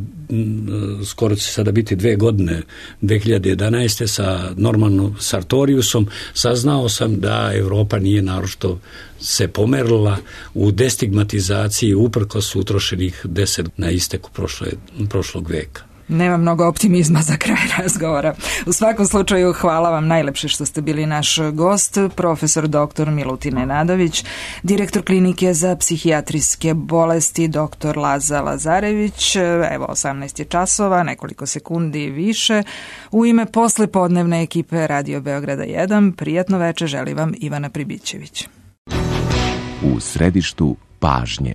skoro će sada biti dve godine, dve hiljade jedanaeste sa Normanom Sartoriusom, saznao sam da Evropa nije naročito se pomerila u destigmatizaciji uprkos utrošenih deset na isteku prošle, prošlog veka. Nema mnogo optimizma za kraj razgovora. U svakom slučaju hvala vam najlepše što ste bili naš gost, profesor doktor Milutin Nenadović, direktor klinike za psihijatrijske bolesti doktor Laza Lazarević. Evo osamnaest je časova, nekoliko sekundi više. U ime poslepodnevne ekipe Radio Beograda jedan, prijatno veče želi vam Ivana Pribićević. U središtu pažnje.